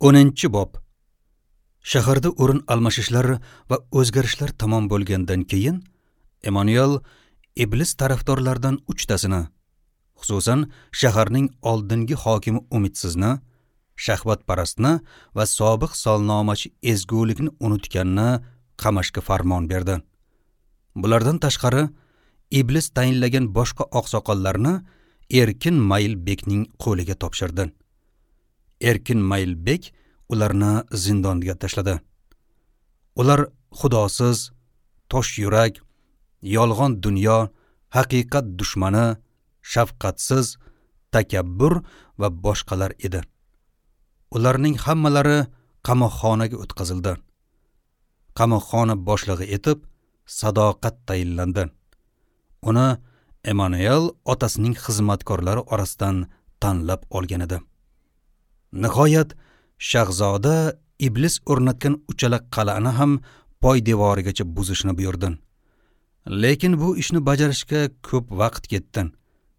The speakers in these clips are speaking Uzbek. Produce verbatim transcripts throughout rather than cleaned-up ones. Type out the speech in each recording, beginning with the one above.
O'ninchi bob. Shaharda o'rin almashishlar va o'zgarishlar tamom bo'lgandan keyin Emanuel iblis tarafdorlaridan uchtasini, xususan shaharning oldingi hokimi Umidsizni, shahvatparastni va sobiq solnomachi ezgulikni unutganni qamashga farmon berdi. Bulardan tashqari iblis tayinlagan boshqa oqsoqollarni Erkin Maylbekning qo'liga topshirdi. Erkin Maylbek ularni zindonga tashladi. Ular xudosiz, tosh yurak, yolg'on dunyo, haqiqat dushmani, shafqatsiz, takabbur va boshqalar edi. Ularning hammalari qamoqxonaga o'tkazildi. Qamoqxona boshlig'i etib Sadoqat tayinlandi. Uni Emanuel otasining xizmatkorlari orasidan tanlab olgan edi. Nihoyat shahzoda iblis o'rnatgan uchala qal'ani ham poydevorigacha buzishni buyurdi. Lekin bu ishni bajarishga ko'p vaqt ketdi,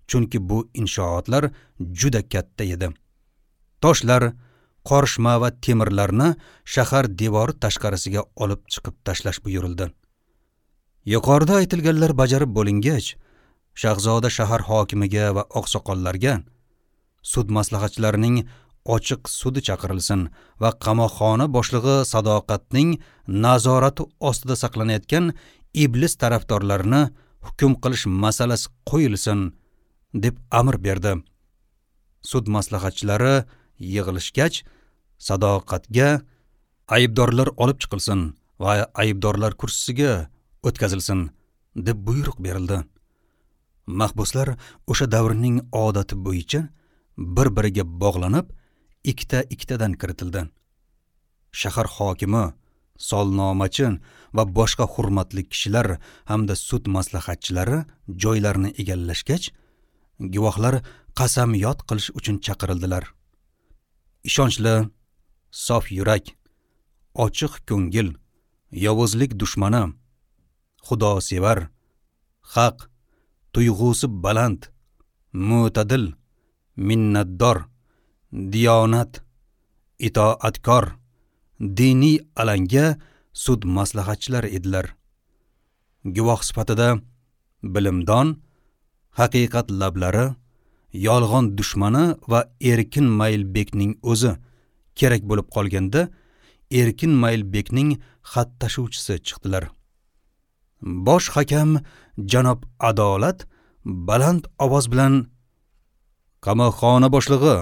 chunki bu inshootlar juda katta edi. Toshlar, qorishma va temirlarni shahar devori tashqarisiga olib chiqib tashlash buyurildi. Yuqorida aytilganlar bajarib bo'lingach, shahzoda shahar hokimiga va oqsoqollarga sud maslahatchilarining ochiq sudi chaqirilsin va qamoqxona boshlig'i Sadoqatning nazorati ostida saqlanayotgan iblis tarafdorlarini hukm qilish masalasi qo'yilsin deb amr berdi. Sud maslahatchilari yig'ilishgach, Sadoqatga aybdorlar olib chiqilsin va aybdorlar kursisiga o'tkazilsin deb buyruq berildi. Mahbuslar o'sha davrning odati bo'yicha bir-biriga bog'lanib, ikkita-ikkitadan kiritildi. Shahar hokimi, solnomachi va boshqa hurmatli kishilar hamda sud maslahatchilari joylarini egallashgach, guvohlar qasamyod qilish uchun chaqirildilar. Ishonchli, sof yurak, ochiq ko'ngil, yovuzlik dushmani, xudosevar, haq, tuyg'usi baland, mo'tadil, minnatdor, diyonat, itoatkor, diniy alanga sud maslahatchilari edilar. Guvoh sifatida bilimdon, haqiqat lablari, yolg'on dushmani va Erkin Maylbekning o'zi kerak bo'lib qolganda Erkin Maylbekning xat tashuvchisi chiqdilar. Bosh hakam janob Adolat baland ovoz bilan: "Qamoqxona boshlig'i,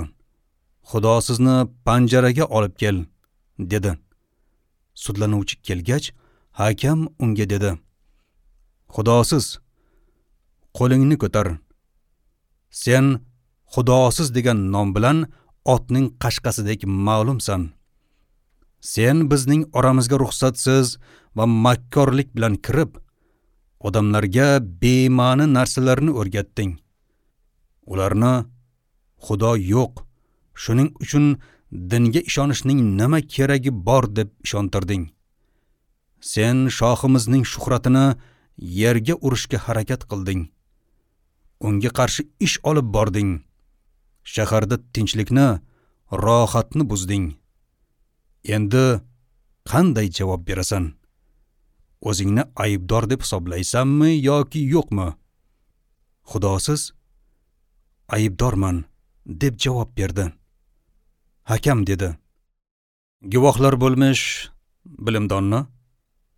Xudo sizni panjaraga olib kel", dedi. Sudlanuvchi kelgach, hakam unga dedi: "Xudosiz, qo'lingni ko'tar. Sen xudosiz degan nom bilan otning qashqasidek ma'lumsan. Sen bizning oramizga ruxsatsiz va makkorlik bilan kirib, odamlarga bema'ni narsalarni o'rgatding. Ularni Xudo yo'q, shuning uchun dinga ishonishning nima keragi bor deb ishontirding. Sen shohimizning shuhratini yerga urishga harakat qilding. Unga qarshi ish olib bording. Shaharda tinchlikni, rohatni buzding. Endi qanday javob berasan? O'zingni aybdor deb hisoblaysanmi yoki yo'qmi?" Xudosiz: "Aybdorman", deb javob berdi. Hakam dedi: "Guvohlar bo'lmish bilimdonni,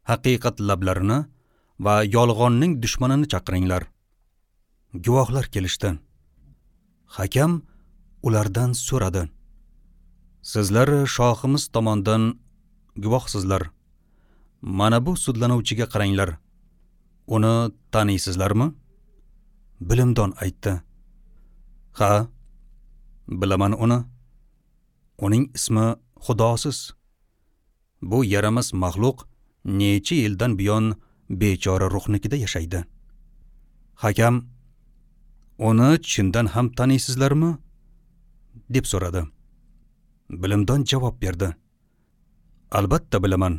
haqiqat lablarini va yolg'onning dushmanini chaqiringlar." Guvohlar kelishdi. Hakam ulardan so'radi: "Sizlar shohimiz tomonidan guvohsizlar. Mana bu sudlanuvchiga qaranglar. Uni taniysizlarmi?" Bilimdon aytdi: "Ha, bilaman uni. Uning ismi Xudosiz. Bu yaramas maxluq necha yildan buyon bechora ruhnikida yashaydi." Hakam: "Uni chindan ham taniysizlarmi?" deb so'radi. Bilimdon javob berdi: "Albatta bilaman.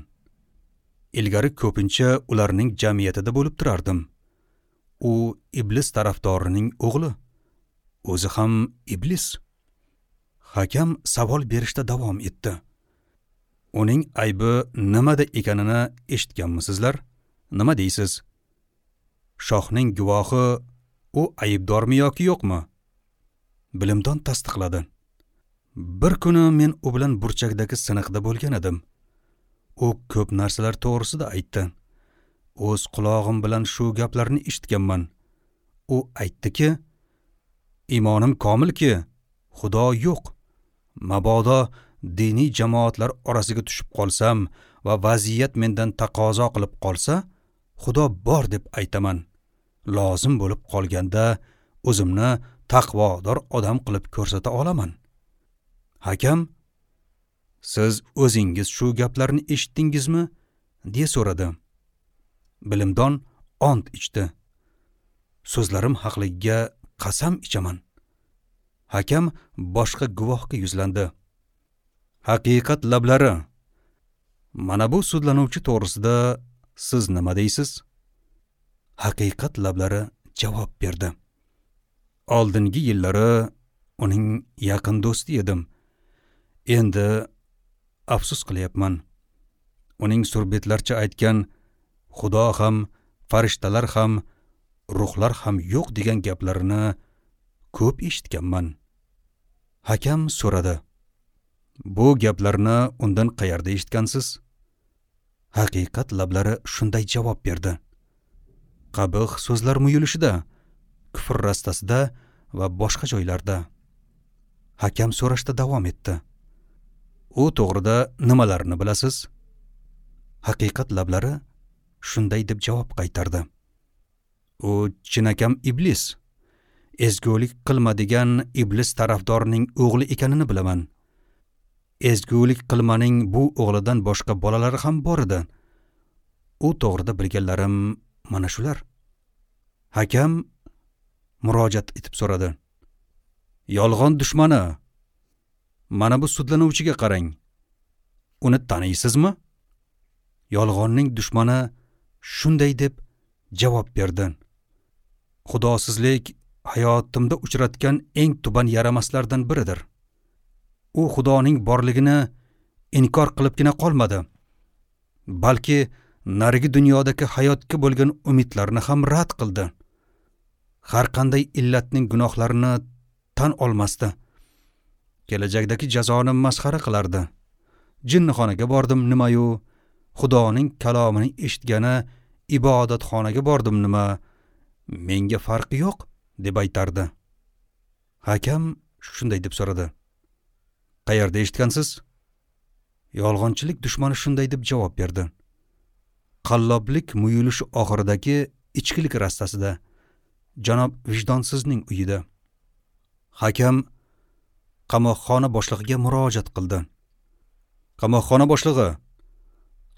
Ilgari ko'pincha ularning jamiyatida bo'lib turardim. U iblis tarafdorining o'g'li. O'zi ham iblis." Hakam savol berishda davom etdi. Uning aybi nimada ekanini eshitganmisizlar? Nima deysiz? Shohning guvohi u aybdormi yoki yo'qmi? Bilimdon tasdiqladi. Bir kuni men u bilan burchakdagi siniqda bo'lgan edim. U ko'p narsalar to'g'risida aytdi. O'z qulog'im bilan shu gaplarni eshitganman. U aytdiki, iymonim komilki, Xudo yo'q. Mabodo diniy jamoatlar orasiga tushib qolsam va vaziyat mendan taqozo qilib qolsa, Xudo bor deb aytaman. Lozim bo'lib qolganda o'zimni taqvodor odam qilib ko'rsata olaman. Hakam, siz o'zingiz shu gaplarni eshitdingizmi? Deya so'radi. Bilimdon ont ichdi. So'zlarim haqligiga qasam ichaman. Hakam boshqa guvohga yuzlandi. Haqiqat lablari. Mana bu sudlanuvchi to'g'risida siz nima deysiz? Haqiqat lablari javob berdi. Oldingi yillari uning yaqin do'sti edim. Endi afsus qilyapman. Uning surbetlarcha aytgan Xudo ham, farishtalar ham, ruhlar ham yo'q degan gaplarini ko'p eshitganman. Hakam so'radi. Bu gaplarni undan qayerda eshitgansiz? Haqiqat lablari shunday javob berdi. Qabih so'zlar muyulishida, kufr rastasida va boshqa joylarda. Hakam so'rashda davom etdi. U to'g'rida nimalarni bilasiz? Haqiqat lablari shunday deb javob qaytardi. U chinakam iblis. Ezgulik qilma degan iblis tarafdorining o'g'li ekanini bilaman. Ezgulik qilmaning bu o'g'lidan boshqa bolalari ham bor edi. U to'g'rida bilganlarim mana shular. Hakam murojaat etib so'radi. Yolg'on dushmani, mana bu sudlanuvchiga qarang. Uni taniysizmi? Yolg'onning dushmani shunday deb javob berdi. Xudosizlik hayotimda uchratgan eng tuban yaramaslardan biridir. U Xudoning borligini inkor qilibgina qolmadi, balki narigi dunyodagi hayotga bo'lgan umidlarni ham rad qildi. Har qanday illatning gunohlarini tan olmasdi. Kelajakdagi jazoni masxara qilardi. Jinnixonaga bordim nima-yu, Xudoning kalomini eshitgani ibodatxonaga bordim nima, menga farqi yo'q deb aytardi. Hakam shunday deb so'radi. Qayerda eshitgansiz? Yolg'onchilik dushmani shunday deb javob berdi. Qalloblik muyulishi oxiridagi ichkilik rastasida, janob vijdonsizning uyida. Hakam qamoqxona boshlig'iga murojaat qildi. Qamoqxona boshlig'i,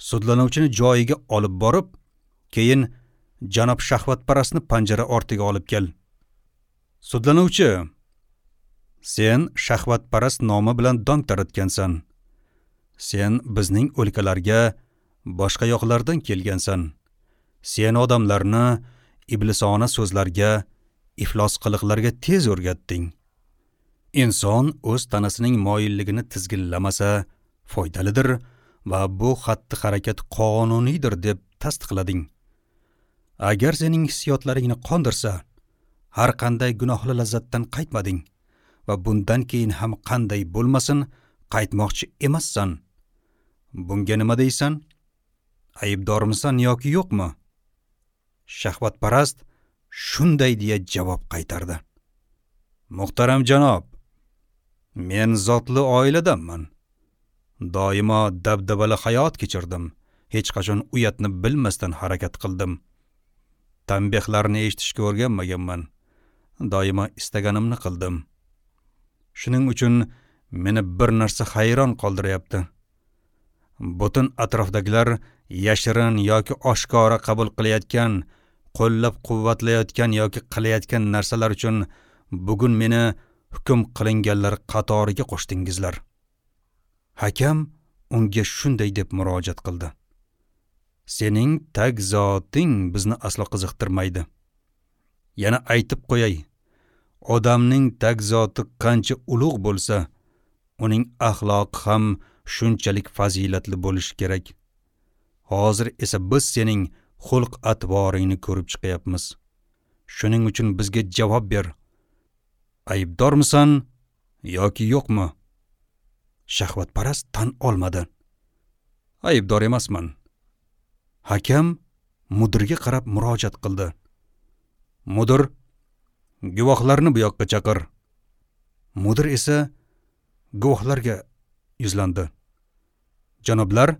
sudlanuvchini joyiga olib borib, keyin janob shahvatparastni panjara ortiga olib kel. Sudlanuvchi, sen shahvatparast nomi bilan dong taratgansan. Sen bizning o'lkalarga boshqa yoqlardan kelgansan. Sen odamlarni iblisona so'zlarga, iflos qiliqlarga tez o'rgatding. Inson o'z tanasining moyilligini tizginlamasa foydalidir va bu xatti-harakat qonuniydir deb tasdiqlading. Agar sening hissiyotlaringni qondirsa, har qanday gunohli lazzatdan qaytmading va bundan keyin ham qanday bo'lmasin qaytmoqchi emassan. Bunga nima deysan? Aybdormisan yoki yo'qmi? Shahvatparast shunday deya javob qaytardi. Muhtaram janob, men zotli oiladanman. Doimo dabdabali hayot kechirdim. Hech qachon uyatni bilmasdan harakat qildim. Tanbehlarni eshitishga o'rganmaganman. Doimo istaganimni qildim. Shuning uchun meni bir narsa hayron qoldiryapti. Butun atrofdagilar yashirin yoki oshkora qabul qilayotgan, qo'llab-quvvatlayotgan yoki qilayotgan narsalar uchun bugun meni hukm qilinganlar qatoriga qo'shdingizlar. Hakam unga shunday deb murojaat qildi. Sening tag zoting bizni aslo qiziqtirmaydi. Yana aytib qo'yay, odamning tag zoti qancha ulug' bo'lsa, uning axloqi ham shunchalik fazilatli bo'lishi kerak. Hozir esa biz sening xulq atvoringni ko'rib chiqyapmiz. Shuning uchun bizga javob ber. Aybdormisan yoki yo'qmi? Shahvatparast tan olmadi. Aybdor emasman. Hakam mudirga qarab murojaat qildi. Mudir, guvohlarni bu yoqqa chaqir. Mudir esa guvohlarga yuzlandi. Janoblar,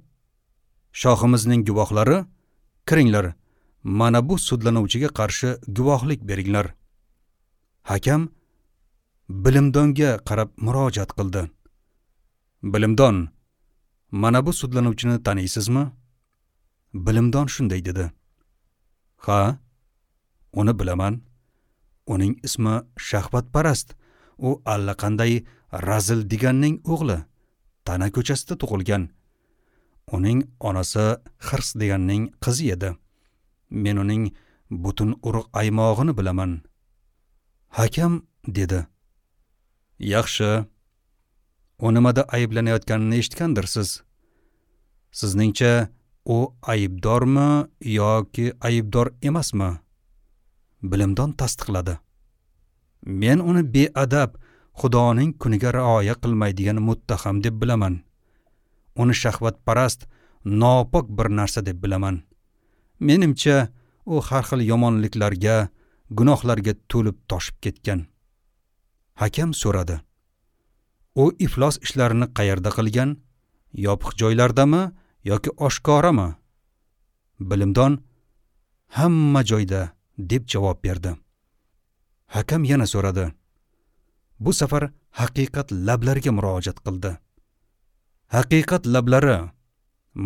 shohimizning guvohlari, kiringlar, mana bu sudlanuvchiga qarshi guvohlik beringlar. Hakam bilimdonga qarab murojaat qildi. Bilimdon, mana bu sudlanuvchini taniysizmi? Bilimdon shunday dedi. Ha, uni bilaman. Uning ismi Shahvatparast. U allaqanday razil deganning o'g'li. Tana ko'chasida tug'ilgan. Uning onasi Hirs deganning qizi edi. Men uning butun urug' aymog'ini bilaman. Hakam dedi. Yaxshi. U nimada ayblanayotganini eshitgandirsiz. Sizningcha u aybdormi yoki aybdor emasmi? Bilimdon tasdiqladi. Men uni beadab, Xudoning kuniga rioya qilmaydigan muttaham deb bilaman. Uni shahvatparast, nopok bir narsa deb bilaman. Menimcha, u har xil yomonliklarga, gunohlarga to'lib toshib ketgan. Hakam so'radi. U iflos ishlarini qayerda qilgan? Yopiq joylardami yoki oshkorami? Bilimdon hamma joyda deb javob berdi. Hakam yana so'radi. Bu safar haqiqat lablariga murojaat qildi. Haqiqat lablari,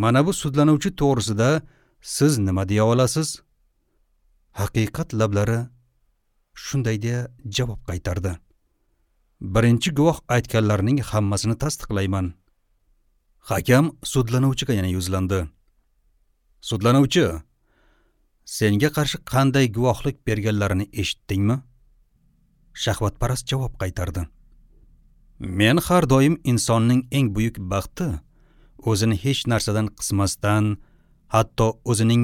mana bu sudlanuvchi to'g'risida siz nima deya olasiz? Haqiqat lablari shunday deya javob qaytardi. Birinchi guvoh aytganlarning hammasini tasdiqlayman. Hakam sudlanuvchiga yana yuzlandi. Sudlanuvchi, senga qarshi qanday guvohlik berganlarini eshitdingmi? Shahvatparast javob qaytardi. Men har doim insonning eng buyuk baxti o'zini hech narsadan qismasdan, hatto o'zining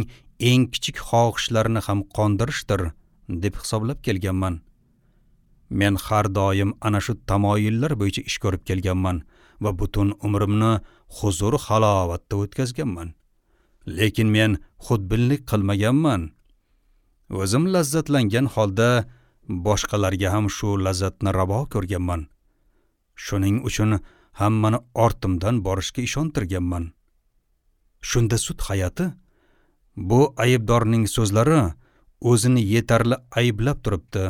eng kichik xohishlarini ham qondirishdir deb hisoblab kelganman. Men har doim ana shu tamoyillar bo'yicha ish ko'rib kelganman va butun umrimni huzur halovatda o'tkazganman. Lekin men xudbinlik qilmaganman. O'zim lazzatlangan holda boshqalarga ham shu lazzatni ravo ko'rganman. Shuning uchun hammani ortimdan borishga ishontirganman. Shunda sud hay'ati bu aybdorning so'zlari o'zini yetarli ayblab turibdi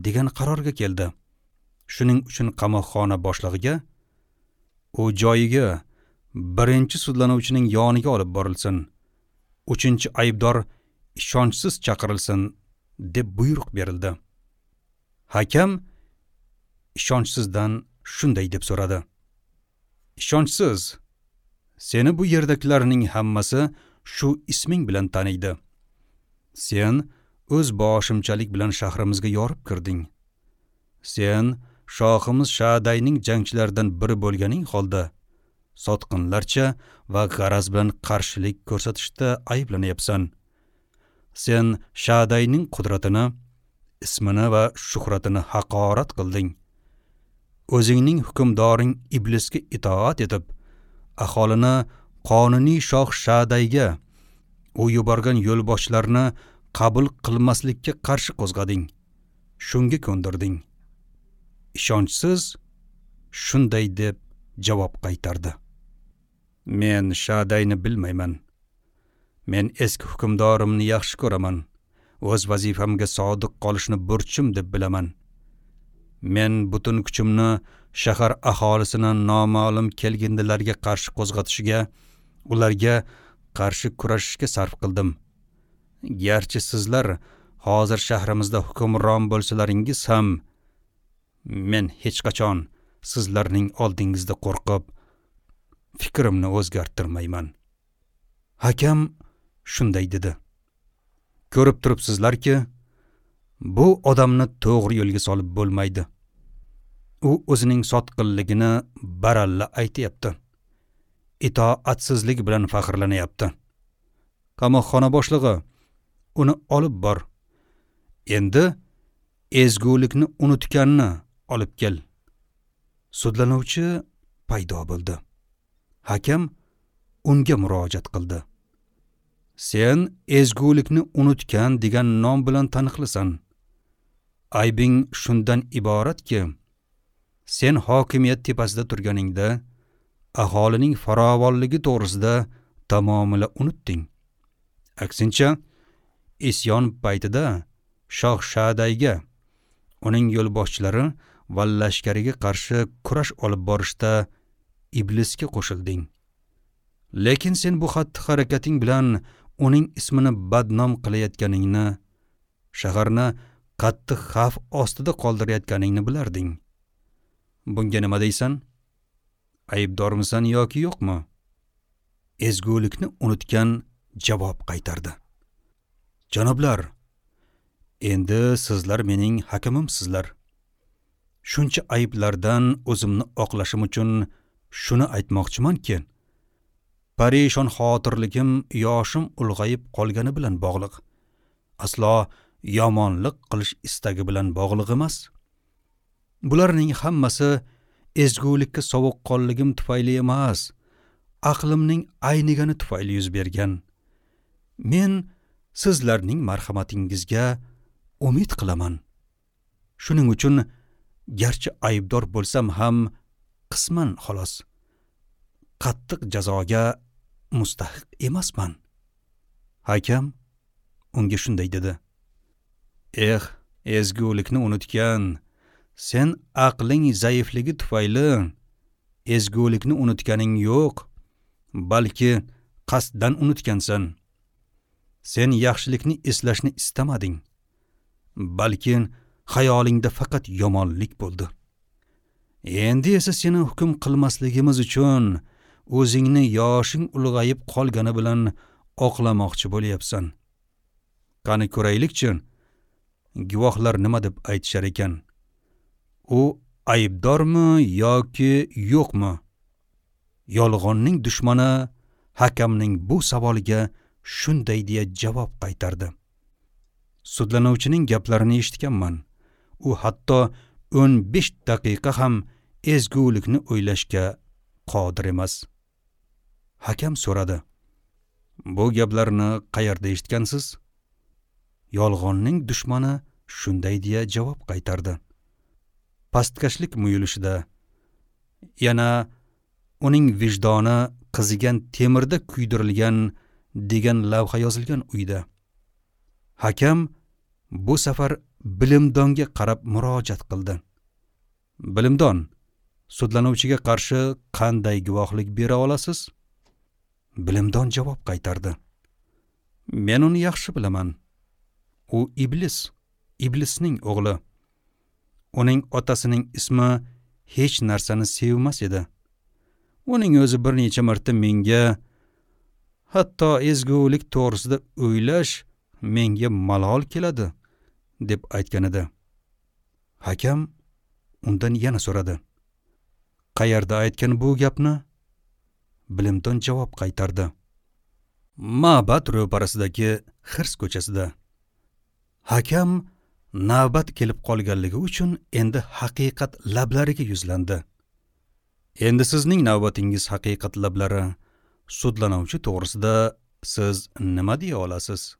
degan qarorga keldi. Shuning uchun qamoqxona boshlig'iga u joyiga birinchi sudlanuvchining yoniga olib borilsin, uchinchi aybdor ishonchsiz chaqirilsin deb buyruq berildi. Hakam ishonchsizdan shunday deb so'radi. Ishonchsiz, seni bu yerdagilarning hammasi shu isming bilan taniydi. Sen o'z boshimchalik bilan shahrimizga yorib kirding. Sen shohimiz Shadayning jangchilaridan biri bo'lganing holda sotqinlarcha va g'araz bilan qarshilik ko'rsatishda ayblanyapsan. Sen Shadayning qudratini, ismini va shuhratini haqorat qilding. O'zingning hukmdoring iblisga itoat etib, aholini qonuniy shoh Shadayga, u yuborgan yo'lboshchilarni qabul qilmaslikka qarshi qo'zg'ading. Shunga ko'ndirding. Ishonchsiz shunday deb javob qaytardi. Men Shadayni bilmayman. Men eski hukmdorimni yaxshi ko'raman. O'z vazifamga sodiq qolishni burchim deb bilaman. Men butun kuchimni shahar aholisini noma'lum kelgindilarga qarshi qo'zg'atishga, ularga qarshi kurashishga sarf qildim. Garchi sizlar hozir shahrimizda hukmron bo'lsalaringiz ham, men hech qachon sizlarning oldingizda qo'rqib, fikrimni o'zgartirmayman. Hakam shunday dedi. Ko'rib turibsizlarki, bu odamni to'g'ri yo'lga solib bo'lmaydi. U o'zining sotqinligini baralla aytayapti. itoatsizlik bilan faxrlanyapti. Qamoqxona boshlig'i, uni olib bor. Endi ezgulikni unutganni olib kel. Sudlanuvchi paydo bo'ldi. Hakam unga murojaat qildi. Sen ezgulikni unutgan degan nom bilan taniqlisan. Aybing shundan iboratki, sen hokimiyat tepasida turganingda aholining farovonligi to'g'risida tamomila unutding. Aksincha, isyon paytida Shoh Shadayga, uning yo'lboshchilari va lashkariga qarshi kurash olib borishda iblisga qo'shilding. Lekin sen bu xatti-harakating bilan uning ismini badnom qilayotganingni, shaharni qattiq xavf ostida qoldirayotganingni bilarding. Bunga nima deysan? Aybdormisan yoki yo'qmi? Ezgulikni unutgan javob qaytardi. Janoblar, endi sizlar mening hakamimsizlar. Shuncha ayblardan o'zimni oqlashim uchun shuni aytmoqchimanki, parishon xotirligim yoshim ulg'ayib qolgani bilan bog'liq. Aslo yomonlik qilish istagi bilan bog'liq emas. Bularning hammasi ezgulikka sovuqqonligim tufayli emas, aqlimning aynigani tufayli yuz bergan. Men sizlarning marhamatingizga umid qilaman. Shuning uchun garchi aybdor bo'lsam ham qisman xolos qattiq jazoga mustahiq emasman. Hakam unga shunday dedi: Eh, ezgulikni unutgan, sen aqling zaifligi tufayli ezgulikni unutganing yo'q, balki qasddan unutgansan. Sen yaxshilikni eslashni istamading, balki xayolingda faqat yomonlik bo'ldi. Endi esa seni hukm qilmasligimiz uchun o'zingni yoshing ulg'ayib qolgani bilan oqlamoqchi bo'lyapsan. Qani ko'raylikchi, guvohlar nima deb aytishar ekan? U aybdormi yoki yo'qmi? Yolg'onning dushmani hakamning bu savoliga shunday deya javob qaytardi: Sudlanuvchining gaplarini eshitganman. U hatto o'n besh daqiqa ham ezgulikni o'ylashga qodir emas. Hakam so'radi: Bu gaplarni qayerda eshitgansiz? Yolg'onning dushmani shunday deya javob qaytardi: Pastkashlik muyulishida, yana uning vijdoni qizigan temirda kuydirilgan degan lavha yozilgan uyda. Hakam bu safar bilimdonga qarab murojaat qildi. Bilimdon, sudlanuvchiga qarshi qanday guvohlik bera olasiz? Bilimdon javob qaytardi: Men uni yaxshi bilaman. U iblis, iblisning o'g'li. Uning otasining ismi hech narsani sevmas edi. Uning o'zi bir necha marta menga, hatto ezgulik to'g'risida o'ylash menga malol keladi, deb aytgan edi. Hakam undan yana so'radi: Qayerda aytgan bu gapni? Bilimdon javob qaytardi: Ma'bad ro'parasidagi Xirs ko'chasida. Hakam navbat kelib qolganligi uchun endi haqiqat lablariga yuzlandi. Endi sizning navbatingiz, haqiqat lablari. Sudlanuvchi to'g'risida siz nima deya olasiz?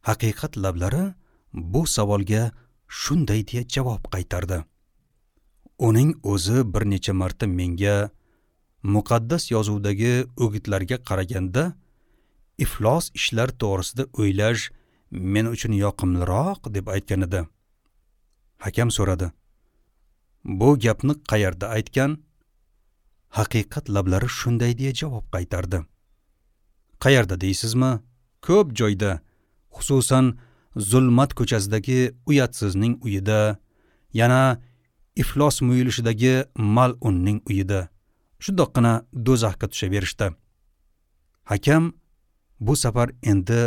Haqiqat lablari bu savolga shunday deya javob qaytardi: Uning o'zi bir necha marta menga muqaddas yozuvdagi o'gitlarga qaraganda iflos ishlar to'g'risida o'ylash men uchun yoqimliroq deb aytgan edi. Hakam so'radi: Bu gapni qayerda aytgan? Haqiqat lablari shunday deya javob qaytardi: Qayerda deysizmi? Ko'p joyda, xususan Zulmat ko'chasidagi uyatsizning uyida, yana iflos muyulishidagi mal'unning uyida. Shundoqqina do'zaxga tushaverishdi. Hakam bu safar endi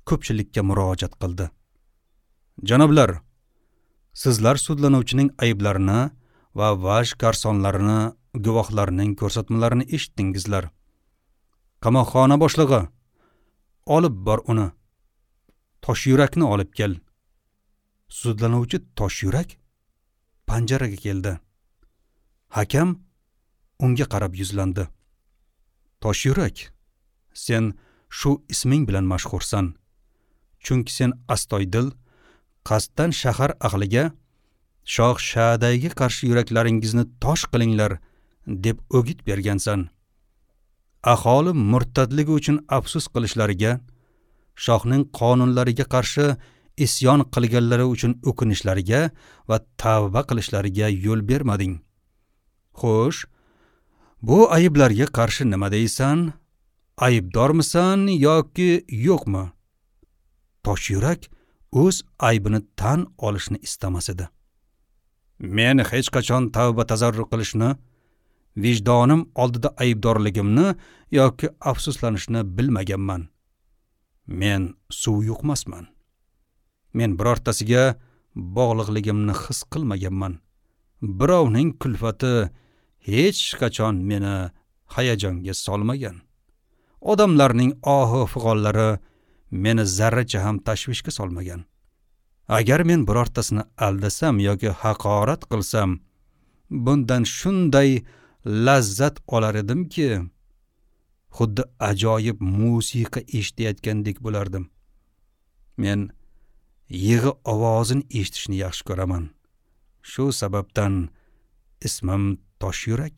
ko'pchilikka murojaat qildi. Janoblar, sizlar sudlanuvchining ayblarini va vaj garsonlarini guvohlarning ko'rsatmalarini eshitdingizlar. Qamoqxona boshlig'i, olib bor uni. Toshyurakni olib kel. Sudlanuvchi Toshyurak panjaraga keldi. Hakam unga qarab yuzlandi. Toshyurak, sen shu isming bilan mashhursan. Chunki sen astoydil qasddan shahar ahliga shoh Shadayga qarshi yuraklaringizni tosh qilinglar deb o'git bergansan. Aholi murtadligi uchun afsus qilishlariga, shohning qonunlariga qarshi isyon qilganlari uchun o'kinishlariga va tavba qilishlariga yo'l bermading. Xo'sh, bu ayblarga qarshi nima deysan? Aybdormisan yoki yo'qmi? Toshyurak o'z aybini tan olishni istamas edi. Men hech qachon tavba tazarru qilishni, vijdonim oldida aybdorligimni yoki afsuslanishni bilmaganman. Men suv yuqmasman. Men birortasiga bog'liqligimni his qilmaganman. Birovning kulfati hech qachon meni hayajonga solmagan. Odamlarning ohu fig'onlari meni zarracha ham tashvishga solmagan. Agar men birortasini aldasam yoki haqorat qilsam, bundan shunday lazzat olar edimki, xuddi ajoyib musiqa eshitayotgandek bo'lardim. Men yig'i ovozini eshitishni yaxshi ko'raman. Shu sababdan ismim Toshyurak.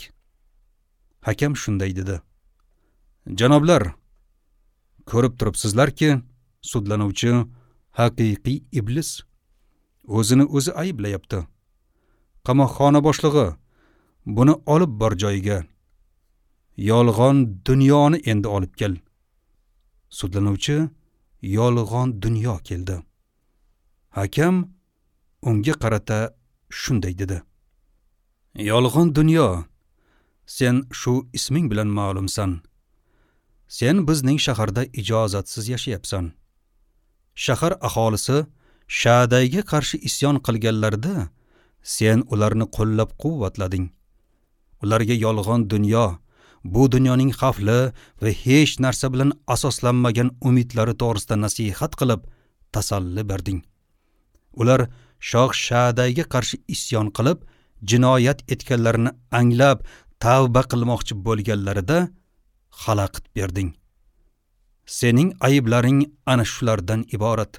Hakam shunday dedi. Janoblar, ko'rib turibsizlarki, sudlanuvchi haqiqiy iblis o'zini o'zi ayblayapti. Qamoqxona boshlig'i, buni olib bor joyiga. Yolg'on dunyoni endi olib kel. Sudlanuvchi yolg'on dunyo keldi. Hakam unga qarata shunday dedi. Yolg'on dunyo, sen shu isming bilan ma'lumsan. Sen bizning shaharda ijozatsiz yashayapsan. Shahar aholisi Shadayga qarshi isyon qilganlarida sen ularni qo'llab-quvvatlading. Ularga yolg'on dunyo, bu dunyoning xavfli va hech narsa bilan asoslanmagan umidlari to'g'risida nasihat qilib tasalli berding. Ular shoh Shadayga qarshi isyon qilib jinoyat etganlarini anglab tavba qilmoqchi bo'lganlarida xalaqit berding. Sening ayblaring ana shulardan iborat.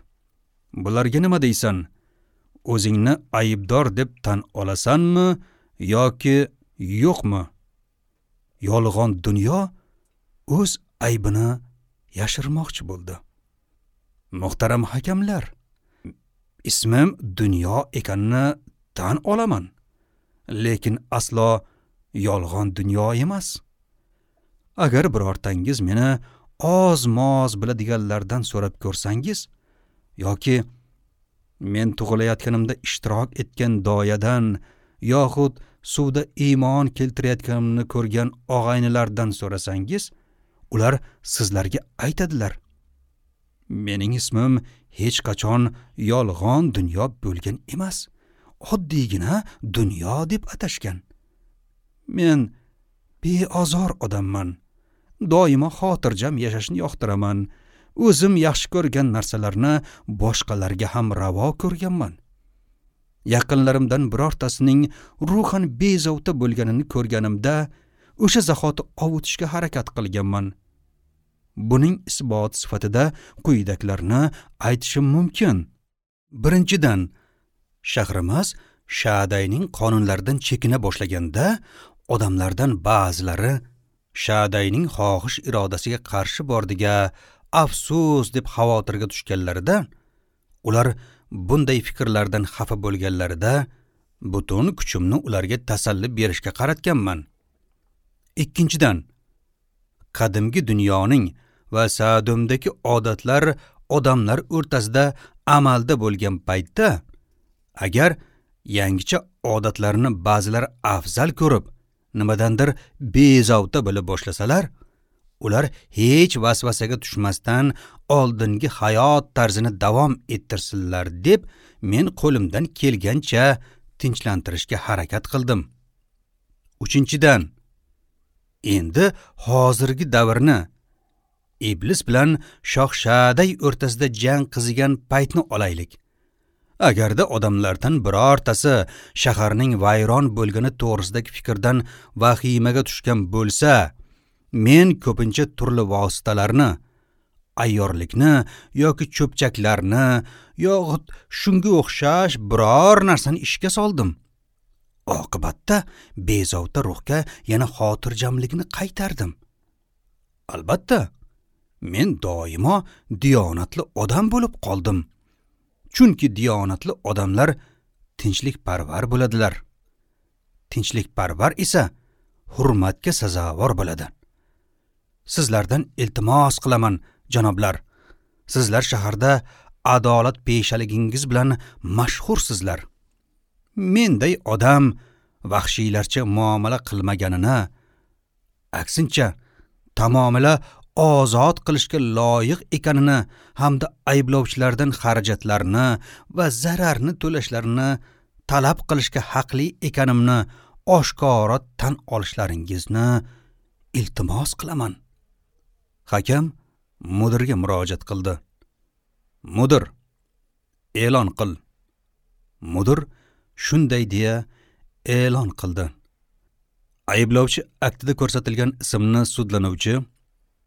Bularga nima deysan? O'zingni aybdor deb tan olasanmi yoki yo'qmi? Yolg'on dunyo o'z aybini yashirmoqchi bo'ldi. Muhtaram hakamlar, ismim dunyo ekanini tan olaman, lekin aslo yolg'on dunyo emas. Agar birortangiz meni oz-moz biladiganlardan so'rab ko'rsangiz yoki men tug'ilayotganimda ishtirok etgan doyadan yoxud suvda iymon keltirayotganimni ko'rgan og'aynilardan so'rasangiz, ular sizlarga aytadilar. Mening ismim hech qachon yolg'on dunyo bo'lgan emas. Oddiygina dunyo deb atashgan. Men beozor odamman. Doimo xotirjam yashashni yoqtiraman. O'zim yaxshi ko'rgan narsalarni boshqalarga ham ravo ko'rganman. Yaqinlarimdan birortasining ruhan bezovta bo'lganini ko'rganimda o'sha zahoti ovutishga harakat qilganman. Buning isboti sifatida quyidagilarni aytishim mumkin. Birinchidan, shahrimiz Shadayning qonunlaridan chekina boshlaganda odamlardan ba'zilari Shadayning xohish irodasiga qarshi bordiga afsus deb xavotirga tushganlarida, ular bunday fikrlardan xafa bo'lganlarida butun kuchimni ularga tasalli berishga qaratganman. Ikkinchidan, qadimgi dunyoning va Sadumdagi odatlar odamlar o'rtasida amalda bo'lgan paytda, agar yangicha odatlarni ba'zilar afzal ko'rib, nimadandir bezovta bo'la boshlasalar, ular hech vasvasaga tushmasdan oldingi hayot tarzini davom ettirsinlar deb men qo'limdan kelgancha tinchlantirishga harakat qildim. Uchinchidan, endi hozirgi davrni, iblis bilan shoh Shaday o'rtasida jang qizigan paytni olaylik. Agarda odamlardan birortasi shaharning vayron bo'lgani to'g'risidagi fikrdan vahimaga tushgan bo'lsa, men ko'pincha turli vositalarni, ayyorlikni yoki cho'pchaklarni yoxud shunga o'xshash biror narsani ishga soldim. Oqibatda bezovta ruhga yana xotirjamlikni qaytardim. Albatta, men doimo diyonatli odam bo'lib qoldim. Chunki diyonatli odamlar tinchlikparvar bo'ladilar. Tinchlikparvar esa hurmatga sazovor bo'ladi. Sizlardan iltimos qilaman, janoblar. Sizlar shaharda adolat peshaligingiz bilan mashhursizlar. Menday odam vahshiylarcha muomala qilmaganini, aksincha tamomila ozod qilishga loyiq ekanini hamda ayblovchilardan xarajatlarni va zararni to'lashlarini talab qilishga haqli ekanimni oshkora tan olishlaringizni iltimos qilaman. Hakam mudirga murojaat qildi. Mudir, e'lon qil. Mudir shunday deya e'lon qildi. Ayblovchi aktida ko'rsatilgan ismni sudlanuvchi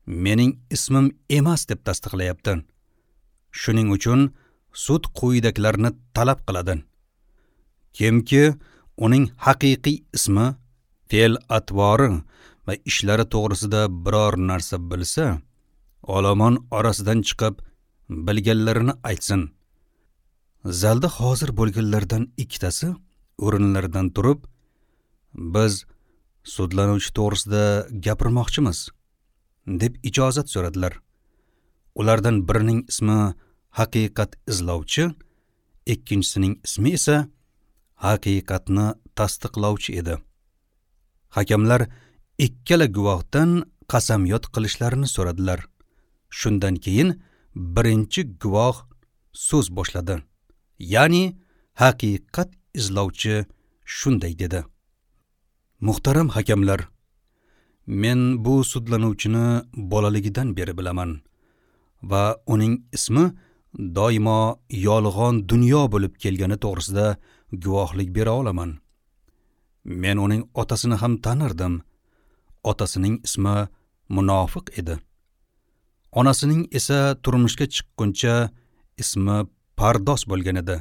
mening ismim emas deb tasdiqlayapti. Shuning uchun sud quyidagilarni talab qiladi. Kimki uning haqiqiy ismi, fe'l atvori va ishlari to'g'risida biror narsa bilsa, olomon orasidan chiqib bilganlarini aytsin. Zalda hozir bo'lganlardan ikkitasi o'rinlaridan turib, biz sudlanuvchi to'g'risida gapirmoqchimiz deb ijozat so'radilar. Ulardan birining ismi haqiqat izlovchi, ikkinchisining ismi esa haqiqatni tasdiqlovchi edi. Hakamlar ikkala guvohdan qasamyod qilishlarini so'radilar. Shundan keyin birinchi guvoh so'z boshladi. Ya'ni haqiqat izlovchi shunday dedi: Muhtaram hakamlar, men bu sudlanuvchini bolaligidan beri bilaman va uning ismi doimo yolg'on dunyo bo'lib kelgani to'g'risida guvohlik bera olaman. Men uning otasini ham tanirdim. Otasining ismi Munofiq edi. Onasining esa turmushga chiqquncha ismi Pardos bo'lgan edi.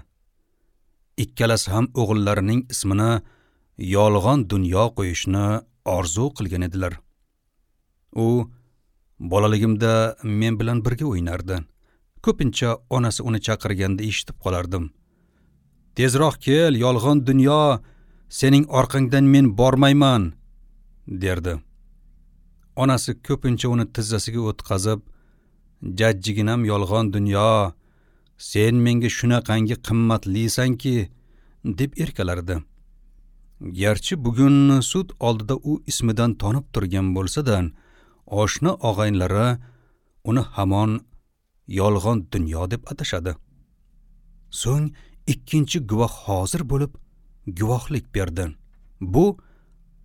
Ikkalasi ham o'g'illarining ismini yolg'on dunyo qo'yishni orzu qilgan edilar. U bolaligimda men bilan birga o'ynardi. Ko'pincha onasi uni chaqirganda eshitib qolardim. Tezroq kel, yolg'on dunyo, sening orqangdan men bormayman, derdi. Onasi ko'pincha uni tizzasiga o'tqazib, jajjiginam yolg'on dunyo, sen menga shunaqangi qimmatlisanki, deb erkalardi. Garchi bugun sud oldida u ismidan tonib turgan bo'lsa-da, oshna og'aynilari uni hamon yolg'on dunyo deb atashadi. So'ng ikkinchi guvoh hozir bo'lib guvohlik berdi. Bu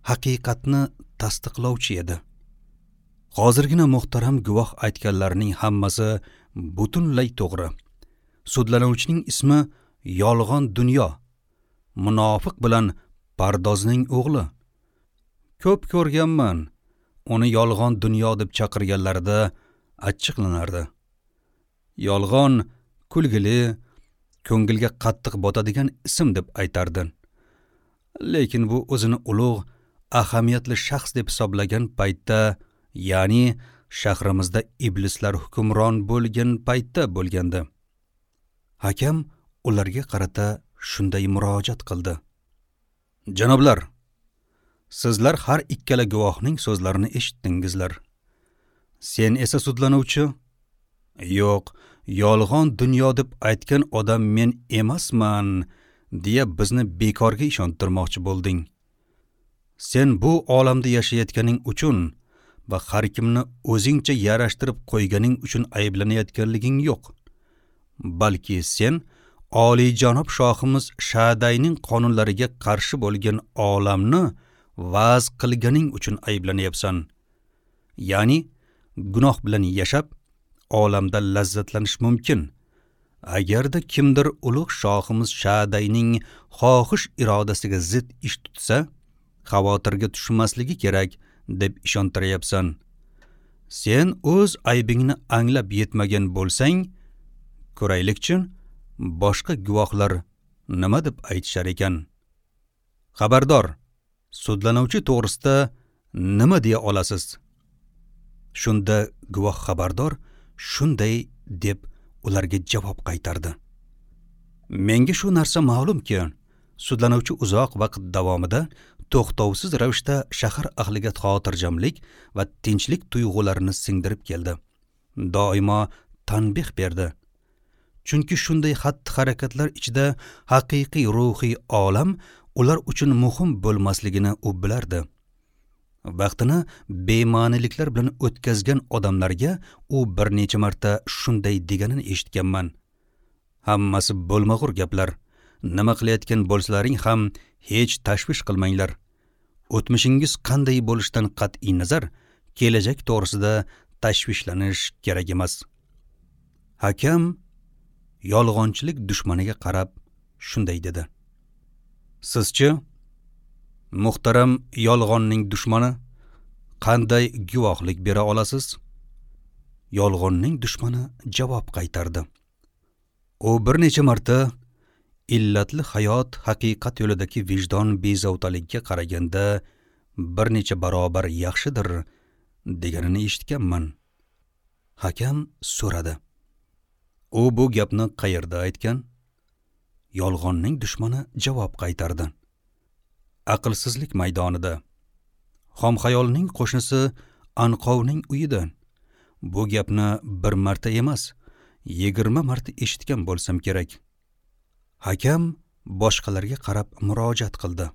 haqiqatni tasdiqlovchi edi. Hozirgina muhtaram guvoh aytganlarining hammasi butunlay to'g'ri. Sudlanuvchining ismi yolg'on dunyo, munofiq bilan Pardozning o'g'li. Ko'p ko'rganman, uni yolg'on dunyo deb chaqirganlarida achchiqlanardi. Yolg'on kulgili, ko'ngilga qattiq botadigan ism deb aytardi. Lekin bu o'zini ulug', ahamiyatli shaxs deb hisoblagan paytda, ya'ni shahrimizda iblislar hukmron bo'lgan paytda bo'lgandi. Hakam ularga qarata shunday murojaat qildi: Janoblar, sizlar har ikkala guvohning so'zlarini eshitdingizlar. Sen esa sudlanuvchi, yo'q, yolg'on dunyo deb aytgan odam men emasman, deya bizni bekorga ishontirmoqchi bo'lding. Sen bu olamda yashayotganing uchun va har kimni o'zingcha yarashtirib qo'yganing uchun ayblanayotganliging yo'q. Balki sen oliyjanob shohimiz Shadayning qonunlariga qarshi bo'lgan olamni va'z qilganing uchun ayblanyapsan. Ya'ni gunoh bilan yashab, olamda lazzatlanish mumkin. Agarda kimdir ulug' shohimiz Shadayning xohish irodasiga zid ish tutsa, xavotirga tushmasligi kerak deb ishontiryapsan. Sen o'z aybingni anglab yetmagan bo'lsang, ko'raylikchi, boshqa guvohlar nima deb aytishar ekan? Xabardor, sudlanuvchi to'g'risida nima deya olasiz? Shunda guvoh xabardor shunday deb ularga javob qaytardi. Menga shu narsa ma'lumki, sudlanuvchi uzoq vaqt davomida to'xtovsiz ravishda shahar ahliga xotirjamlik va tinchlik tuyg'ularini singdirib keldi. Doimo tanbih berdi. Chunki shunday xatti-harakatlar ichida haqiqiy ruhiy olam ular uchun muhim bo'lmasligini u bilardi. Vaqtini bema'niliklar bilan o'tkazgan odamlarga u bir necha marta shunday deganini eshitganman. Hammasi bo'lmag'ur gaplar. Nima qilayotgan bo'lsalaring ham hech tashvish qilmanglar. O'tmishingiz qanday bo'lishidan qat'iy nazar, kelajak to'g'risida tashvishlanish kerak emas. Hakam yolg'onchilik dushmaniga qarab shunday dedi. Sizchi, muhtaram yolg'onning dushmani, qanday guvohlik bera olasiz? Yolg'onning dushmani javob qaytardi. U bir necha marta illatli hayot haqiqat yo'lidagi vijdon bezovtalikka qaraganda bir necha barobar yaxshidir deganini eshitganman. Hakam so'radi. U bu gapni qayerda aytgan? Yolg'onning dushmani javob qaytardi. Aqlsizlik maydonida. Xomxayolning qo'shnisi Anqovning uyida. Bu gapni bir marta emas, yigirma marta eshitgan bo'lsam kerak. Hakam boshqalarga qarab murojaat qildi.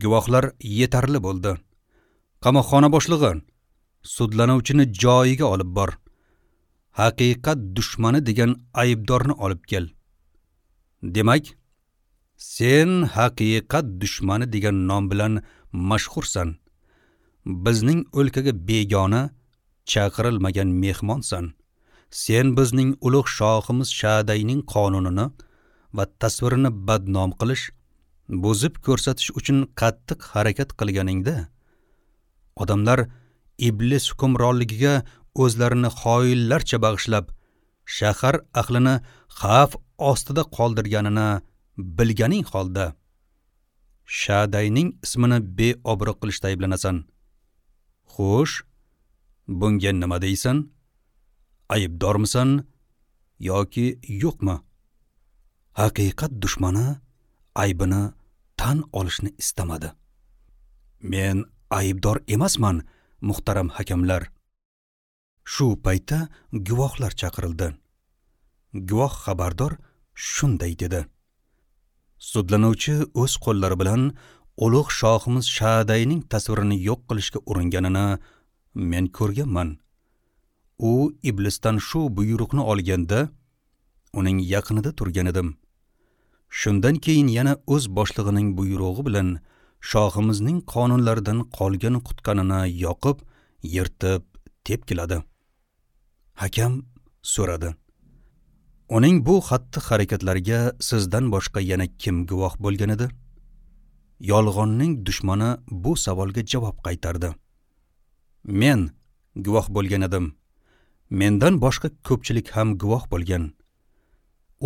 Guvohlar yetarli bo'ldi. Qamoqxona boshlig'i, sudlanuvchini joyiga olib bor. Haqiqat dushmani degan aybdorni olib kel. Demak, sen haqiqat dushmani degan nom bilan mashhursan. Bizning o'lkaga begona, chaqirilmagan mehmonsan. Sen bizning ulug' shohimiz Shadayning qonunini va tasvirini badnom qilish, buzib ko'rsatish uchun qattiq harakat qilganingda, odamlar iblis hukmronligiga o'zlarini xoinlarcha bag'ishlab, shahar ahlini xavf ostida qoldirganini bilganing holda Shadayning ismini beobro' qilishda ayblanasan. Xo'sh, bunga nima deysan? Aybdormisan yoki yo'qmi? Haqiqat dushmani aybini tan olishni istamadi. Men aybdor emasman, muhtaram hakamlar. Shu paytda guvohlar chaqirildi. Guvoh xabardor shunday dedi. Sudlanuvchi o'z qo'llari bilan ulug' shohimiz Shadayning tasvirini yo'q qilishga uringanini men ko'rganman. U iblisdan shu buyruqni olganda uning yaqinida turgan edim. Shundan keyin yana o'z boshlig'ining buyrug'i bilan shohimizning qonunlaridan qolgan qutqanini yoqib, yirtib, tepkiladi. Hakam so'radi. Uning bu xatti-harakatlariga sizdan boshqa yana kim guvoh bo'lgan edi? Yolg'onning dushmani bu savolga javob qaytardi. Men guvoh bo'lgan edim. Mendan boshqa ko'pchilik ham guvoh bo'lgan.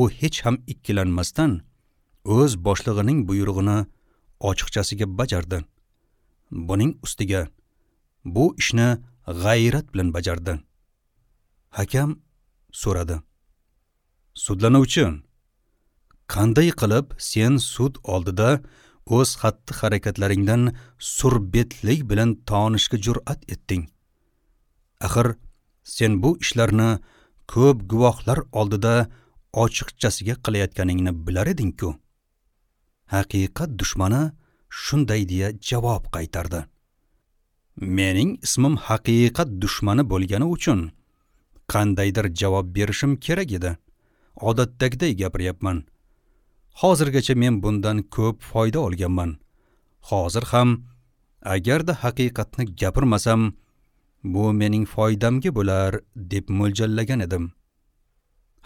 U hech ham ikkilanmasdan o'z boshlig'ining buyrug'ini ochiqchasiga bajardi. Buning ustiga bu ishni g'ayrat bilan bajardi. Hakam so'radi. Sudlanuvchi, qanday qilib sen sud oldida o'z xatti-harakatlaringdan surbetlik bilan tonishga jur'at etding? Axir sen bu ishlarni ko'p guvohlar oldida ochiqchasiga qilayotganingni bilar eding-ku. Haqiqat dushmani shunday deya javob qaytardi. Mening ismim haqiqat dushmani bo'lgani uchun qandaydir javob berishim kerak edi. Odatdagiday gapiryapman. Hozirgacha men bundan ko'p foyda olganman. Hozir ham agarda haqiqatni gapirmasam, bu mening foydamga bo'lar deb mo'ljallagan edim.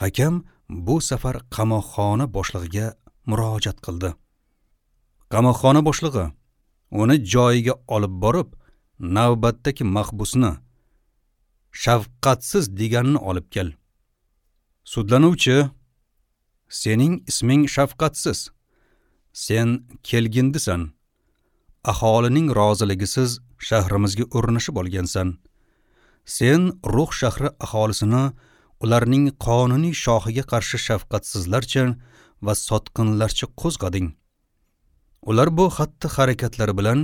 Hakam bu safar qamoqxona boshlig'iga murojaat qildi. Qamoqxona boshlig'i uni joyiga olib borib, navbatdagi mahbusni shafqatsiz deganini olib kel. Sudlanuvchi, sening isming shafqatsiz. Sen kelgindisan. Aholining roziligisiz shahrimizga o'rnashib olgansan. Sen Ruh shahri aholisini ularning qonuniy shohiga qarshi shafqatsizlarcha va sotqinlarcha qo'zg'ading. Ular bu xatti harakatlari bilan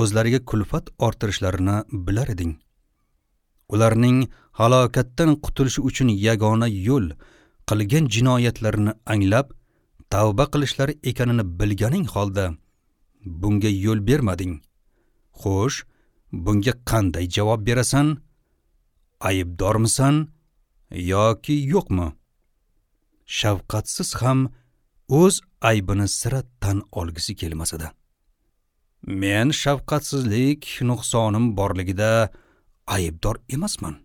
o'zlariga kulfat orttirishlarini bilar eding. Ularning halokatdan qutulishi uchun yagona yo'l qilgan jinoyatlarini anglab, tavba qilishlari ekanini bilganing holda bunga yo'l bermading. Xo'sh, bunga qanday javob berasan? Aybdormisan yoki yo'qmi? Shafqatsiz ham o'z aybini sira tan olgisi kelmas edi. Men shafqatsizlik nuqsonim borligida aybdor emasman.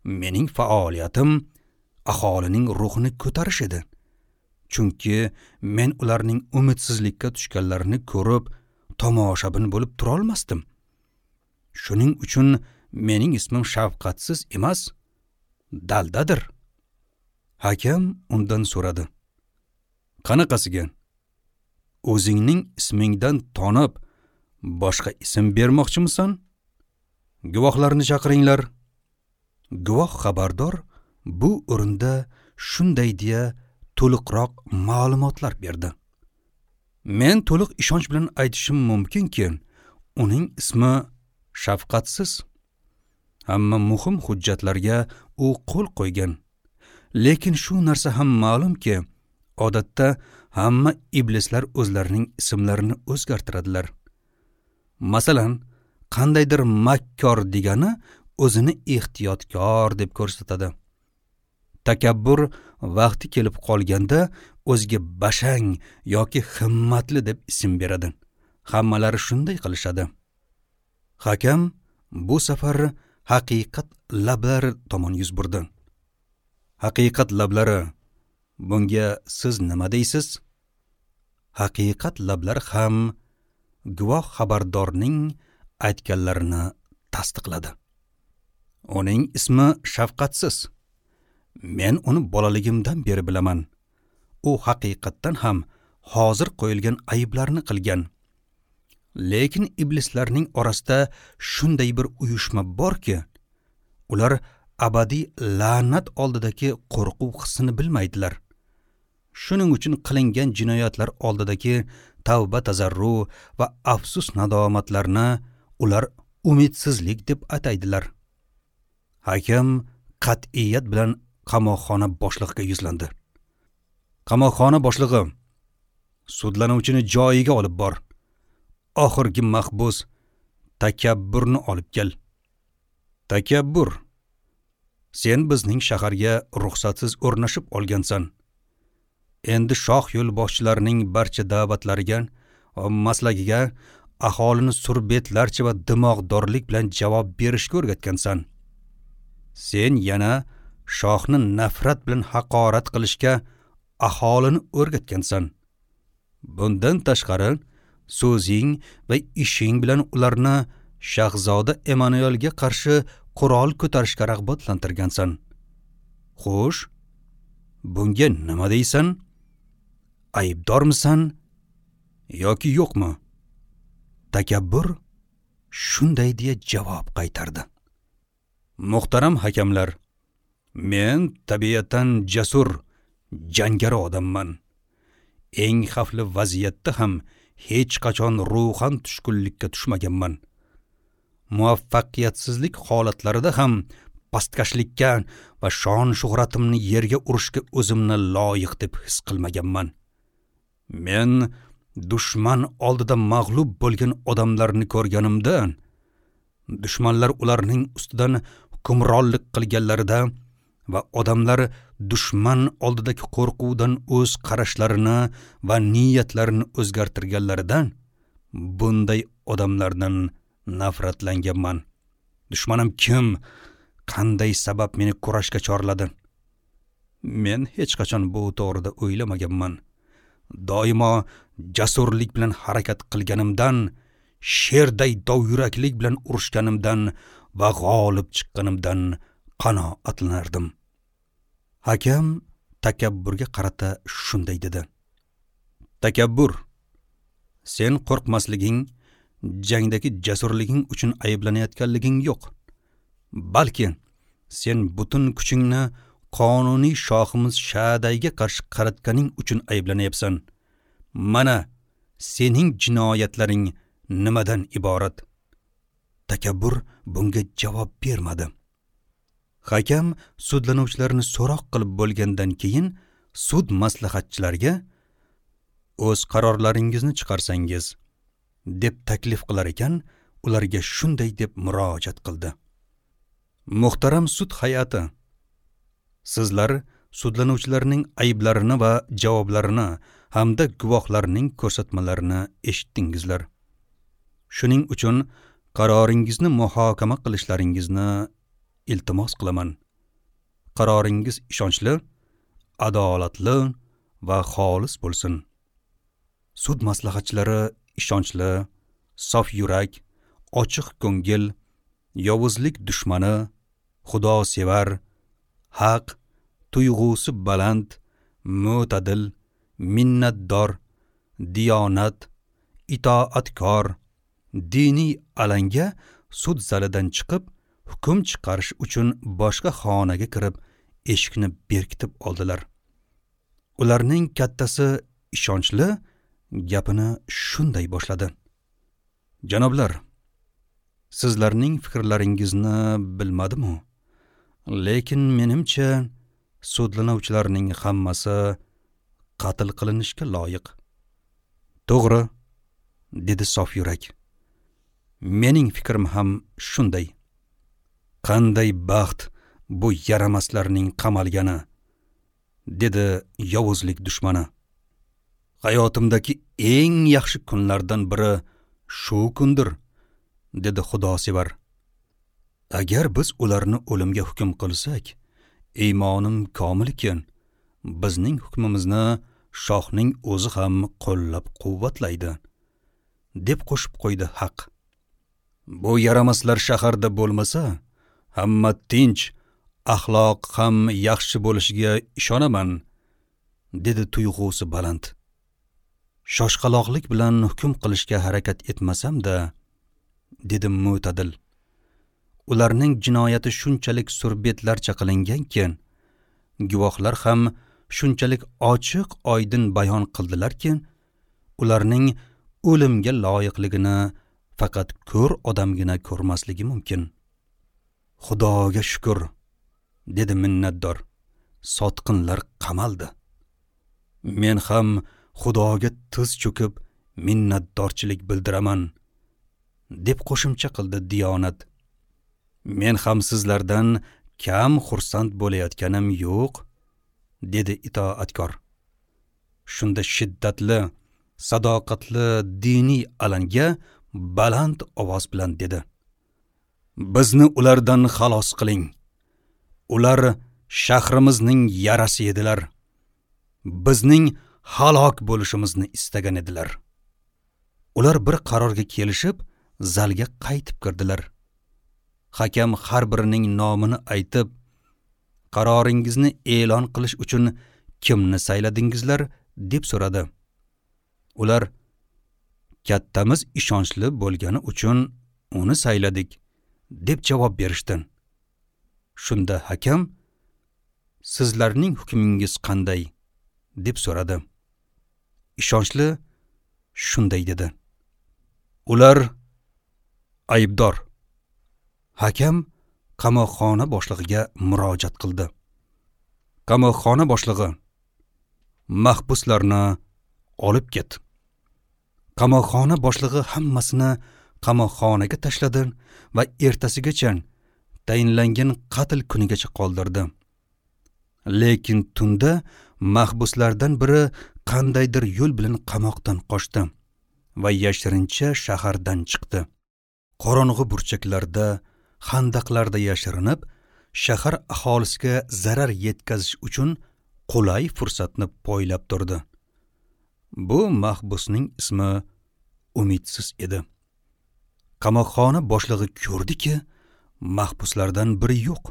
Mening faoliyatim aholining ruhini ko'tarish edi. Chunki men ularning umidsizlikka tushganlarini ko'rib, tomoshabin bo'lib tura olmasdim. Shuning uchun mening ismim shafqatsiz emas, daldadir. Hakam undan so'radi. Qanaqasiga? O'zingning ismingdan tonib, boshqa ism bermoqchimisan? Guvohlarni chaqiringlar. Guvoh xabardor bu o'rinda shunday deya to'liqroq ma'lumotlar berdi. Men to'liq ishonch bilan aytishim mumkinki, uning ismi shafqatsiz. Hamma muhim hujjatlarga u qo'l qo'ygan. Lekin shu narsa ham ma'lumki, odatda hamma iblislar o'zlarining ismlarini o'zgartiradilar. Masalan, qandaydir makkor degani o'zini ehtiyotkor deb ko'rsatadi. Takabbur vaqti kelib qolganda o'ziga bashang yoki himmatli deb ism beradi. Hammalari shunday qilishadi. Hakam bu safar haqiqat lablari tomon yuz burdi. Haqiqat lablari, bunga siz nima deysiz? Haqiqat lablari ham guvoh xabardorning aytganlarini tasdiqladi. Uning ismi shafqatsiz. Men uni bolaligimdan beri bilaman. U haqiqatdan ham hozir qo'yilgan ayblarni qilgan. Lekin iblislarning orasida shunday bir uyushma borki, ular abadiy la'nat oldidagi qo'rquv hissini bilmaydilar. Shuning uchun qilingan jinoyatlar oldidagi tavba tazarru va afsus nadomatlarni ular umidsizlik deb ataydilar. Hakam qat'iyat bilan qamoqxona boshlig'iga yuzlandi. Qamoqxona boshlig'i, sudlanuvchini joyiga olib bor. Oxirgi mahbus takabburni olib kel. Takabbur, sen bizning shaharga ruxsatsiz o'rnashib olgansan. Endi shoh yo'lboshchilarining barcha da'vatlariga va maslagiga aholini surbetlarcha va dimog'dorlik bilan javob berishga o'rgatgansan. Sen yana shohni nafrat bilan haqorat qilishga aholini o'rgatgansan. Bundan tashqari, so'zing va ishing bilan ularni shahzoda Emanuelga qarshi qurol ko'tarishga rag'batlantirgansan. Xo'sh, bunga nima deysan? Aybdormisan yoki yo'qmi? Takabbur shunday deya javob qaytardi. Muhtaram hakamlar, men tabiatan jasur, jangari odamman. Eng xavfli vaziyatda ham hech qachon ruhan tushkunlikka tushmaganman. Muvaffaqiyatsizlik holatlarida ham pastkashlikka va shon shuhratimni yerga urishga o'zimni loyiq deb his qilmaganman. Men dushman oldida mag'lub bo'lgan odamlarni ko'rganimda, dushmanlar ularning ustidan hukmronlik qilganlarida va odamlar dushman oldidagi qo'rquvdan o'z qarashlarini va niyatlarini o'zgartirganlaridan bunday odamlardan nafratlanganman. Dushmanim kim? Qanday sabab meni kurashga chorladi? Men hech qachon bu to'g'rida o'ylamaganman. Doimo jasurlik bilan harakat qilganimdan, sherday dovyuraklik bilan urushganimdan va g'olib chiqqanimdan qanoatlanardim. Hakam takabburga qarata shunday dedi: Takabbur, sen qo'rqmasliging, jangdagi jasurliging uchun ayblanayotganliging yo'q. Balki sen butun kuchingni qonuniy shohimiz Shadayga qarshi qaratganing uchun ayblanyapsan. Mana sening jinoyatlaring nimadan iborat? Takabbur bunga javob bermadi. Hakam sudlanuvchilarni so'roq qilib bo'lgandan keyin sud maslahatchilariga o'z qarorlaringizni chiqarsangiz deb taklif qilar ekan, ularga shunday deb murojaat qildi: Muhtaram sud hay'ati, sizlar sudlanuvchilarning ayblarini va javoblarini hamda guvohlarning ko'rsatmalarini eshitdingizlar. Shuning uchun qaroringizni muhokama qilishlaringizni iltimos qilaman. Qaroringiz ishonchli, adolatli va xolis bo'lsin. Sud maslahatchilari ishonchli, sof yurak, ochiq ko'ngil, yovuzlik dushmani, xudosevar, haq, tuyg'usi baland, mo'tadil, minnatdor, diyonat, itoatkor, diniy alanga sud zalidan chiqib, hukm chiqarish uchun boshqa xonaga kirib, eshikni berkitib oldilar. Ularning kattasi ishonchli gapini shunday boshladi: Janoblar, sizlarning fikrlaringizni bilmadim-u, lekin menimcha sudlanuvchilarning hammasi qatl qilinishga loyiq. To'g'ri, dedi sof yurak. Mening fikrim ham shunday. Qanday baxt bu yaramaslarning qamalgani, dedi yovuzlik dushmani. Hayotimdagi eng yaxshi kunlardan biri shu kundir, dedi xudosevar. Agar biz ularni o'limga hukm qilsak, iymonim komilki, bizning hukmimizni shohning o'zi ham qo'llab-quvvatlaydi, deb qo'shib qo'ydi Haq. Bu yaramaslar shaharda bo'lmasa, hamma tinch, axloq ham yaxshi bo'lishiga ishonaman, dedi tuyg'usi baland. Shoshqaloqlik bilan hukm qilishga harakat etmasam-da, dedi mo'tadil. Ularning jinoyati shunchalik surbetlarcha qilinganki, guvohlar ham shunchalik ochiq oydin bayon qildilarki, ularning o'limga loyiqligini faqat ko'r odamgina ko'rmasligi mumkin. Xudoga shukr, dedi minnatdor. Sotqinlar qamaldi. Men ham Xudoga tiz cho'kib minnatdorchilik bildiraman, deb qo'shimcha qildi diyonat. Men ham sizlardan kam xursand bo'layotganim yo'q, dedi itoatkor. Shunda shiddatli, sadoqatli diniy alanga baland ovoz bilan dedi: Bizni ulardan xalos qiling. Ular shahrimizning yarasi edilar. Bizning halok bo'lishimizni istagan edilar. Ular bir qarorga kelishib, zalga qaytib kirdilar. Hakam har birining nomini aytib, qaroringizni e'lon qilish uchun kimni sayladingizlar, deb so'radi. Ular kattamiz ishonchli bo'lgani uchun uni sayladik, deb javob berishdi. Shunda hakam, sizlarning hukmingiz qanday, deb so'radi. Ishonchli shunday dedi: Ular aybdor. Hakam qamoqxona boshlig'iga murojaat qildi. Qamoqxona boshlig'i, mahbuslarni olib ket. Qamoqxona boshlig'i hammasini qamoqxonaga tashladi va ertasigacha tayinlangan qatl kunigacha qoldirdi. Lekin tunda mahbuslardan biri qandaydir yo'l bilan qamoqdan qochdi va yashirincha shahardan chiqdi. Qorong'i burchaklarda, xandaqlarda yashirinib, shahar aholisiga zarar yetkazish uchun qulay fursatni poylab turdi. Bu mahbusning ismi Umidsiz edi. Qamoqxona boshlig'i ko'rdiki, mahbuslardan biri yo'q.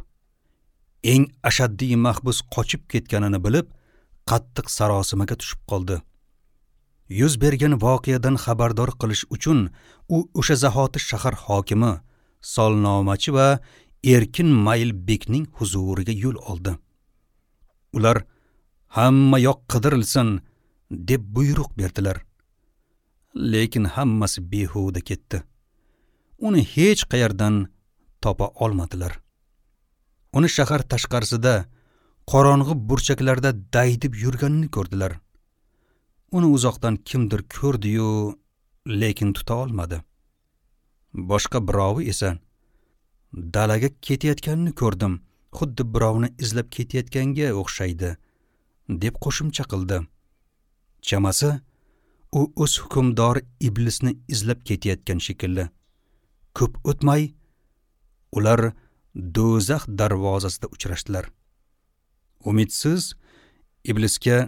Eng ashaddiy mahbus qochib ketganini bilib, qattiq sarosimaga tushib qoldi. Yuz bergan voqeadan xabardor qilish uchun u o'sha zahoti shahar hokimi, solnomachi va Erkin Maylbekning huzuriga yo'l oldi. Ular hamma yoq qidirilsin deb buyruq berdilar. Lekin hammasi behuda ketdi. Uni hech qayerdan topa olmadilar. Uni shahar tashqarisida, qorong'i burchaklarda daydib yurganini ko'rdilar. Uni uzoqdan kimdir ko'rdi-yu, lekin tuta olmadi. Boshqa birovi esa dalaga ketayotganini ko'rdim, xuddi birovni izlab ketayotganga o'xshaydi, deb qo'shimcha qildi. Chamasi, u o'z hukmdori iblisni izlab ketayotgan shekilli. Ko'p o'tmay ular do'zax darvozasida uchrashdilar. Umidsiz iblisga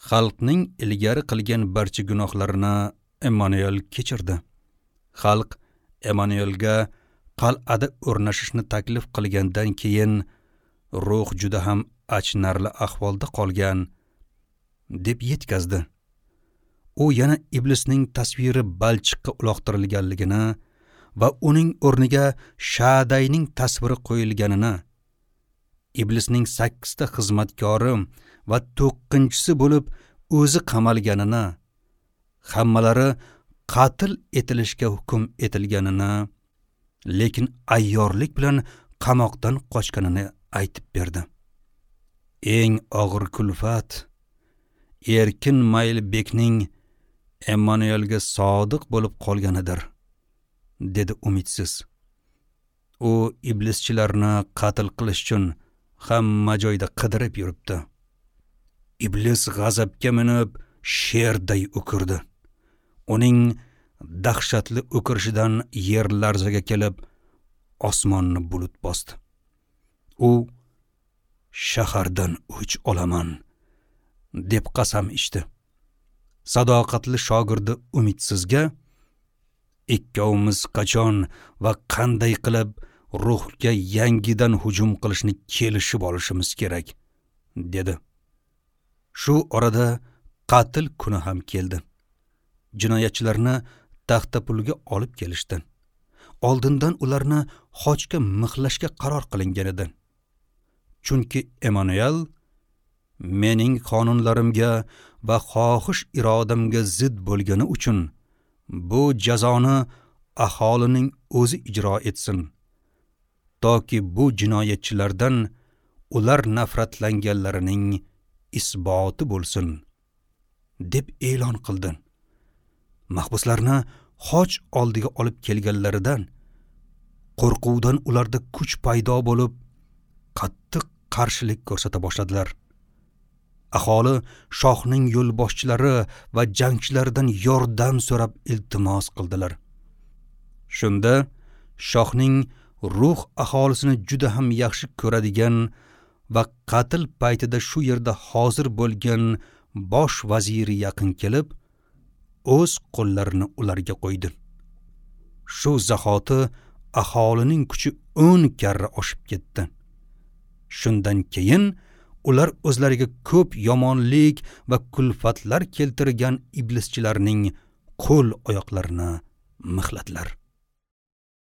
xalqning ilgari qilgan barcha gunohlarini Emmanuel kechirdi. Xalq Emmanuelga qal'ada o'rnashishni taklif qilgandan keyin ruh juda ham achinarli ahvolda qolgan deb yetkazdi. U yana iblisning tasviri balchiqqa uloqtirilganligini va uning o'rniga Shadayning tasviri qo'yilganini, iblisning sakkizta xizmatkori va to'qqizinchisi bo'lib o'zi qamalganini, hammalari qatl etilishga hukm etilganini, lekin ayyorlik bilan qamoqdan qochganini aytib berdi. Eng og'ir kulfat Erkin Maylbekning Emmanuelga sodiq bo'lib qolganidir, dedi Umidsiz. U iblischilarni qatl qilish uchun hamma joyda qidirib yuribdi. Iblis g'azabga minib sherday o'kirdi. Uning dahshatli o'kirishidan yer larzaga kelib, osmonni bulut bosdi. U shahardan o'ch olaman deb qasam ichdi. Sadoqatli shogirdi Umidsizga ikkovimiz qachon va qanday qilib ruhga yangidan hujum qilishni kelishib olishimiz kerak, dedi. Shu orada qatl kuni ham keldi. Jinoyatchilarni taxtapulga olib kelishdi. Oldindan ularni xochga mixlashga qaror qilingan edi. Chunki Emmanuel mening qonunlarimga va xohish irodamga zid bo'lgani uchun bu jazoni aholining o'zi ijro etsin, toki bu jinoyatchilardan ular nafratlanganlarining isboti bo'lsin, deb e'lon qildi. Mahbuslarni xoch oldiga olib kelganlaridan qo'rquvdan ularda kuch paydo bo'lib, qattiq qarshilik ko'rsata boshladilar. Aholi shohning yo'lboshchilari va jangchilaridan yordam so'rab iltimos qildilar. Shunda shohning ruh aholisini juda ham yaxshi ko'radigan va qatl paytida shu yerda hozir bo'lgan bosh vaziri yaqin kelib, o'z qo'llarini ularga qo'ydi. Shu zahoti aholining kuchi o'n karra oshib ketdi. Shundan keyin ular o'zlariga ko'p yomonlik va kulfatlar keltirgan iblischilarning qo'l oyoqlarini mixladilar.